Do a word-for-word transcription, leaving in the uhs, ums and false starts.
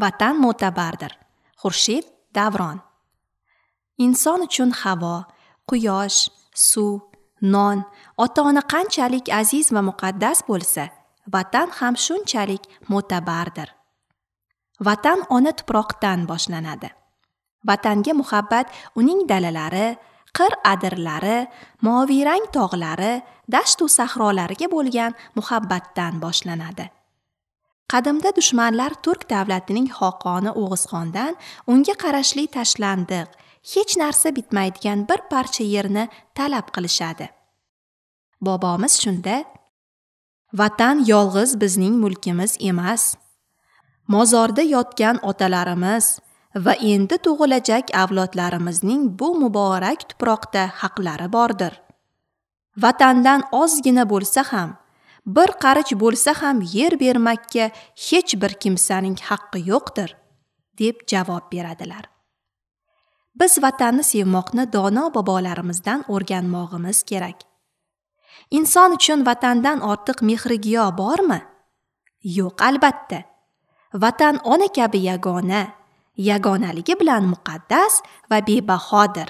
Vatan mo'tabardir. Xurshid Davron. Inson uchun havo, quyosh, suv, non, ota-ona qanchalik aziz va muqaddas bo'lsa, vatan ham shunchalik mo'tabardir. Vatan ona tuproqdan boshlanadi. Vatanga muhabbat uning dalalari, qir-adirlari, moviyrang tog'lari, dasht-u sahrolariga bo'lgan muhabbatdan boshlanadi. Qadimda dushmanlar Turk davlatining xoqoni O'g'izxondan unga qarashli tashlandiq, hech narsa bitmaydigan bir parcha yerni talab qilishadi. Bobomiz shunda: "Vatan yolg'iz bizning mulkimiz emas. Mozorda yotgan otalarimiz va endi tug'ilajak avlodlarimizning bu muborak tuproqda haqlari bordir. Vatandan ozgina bo'lsa ham, bir qarich bo'lsa ham yer bermakka hech bir kimsaning haqqi yo'qdir", deb javob beradilar. Biz vatanni sevmoqni dono bobolarimizdan o'rganmog'imiz kerak. Inson uchun vatandan ortiq mehrigiyo bormi? Yo'q, albatta. Vatan ona kabi yagona, yagonaligi bilan muqaddas va bebahodir.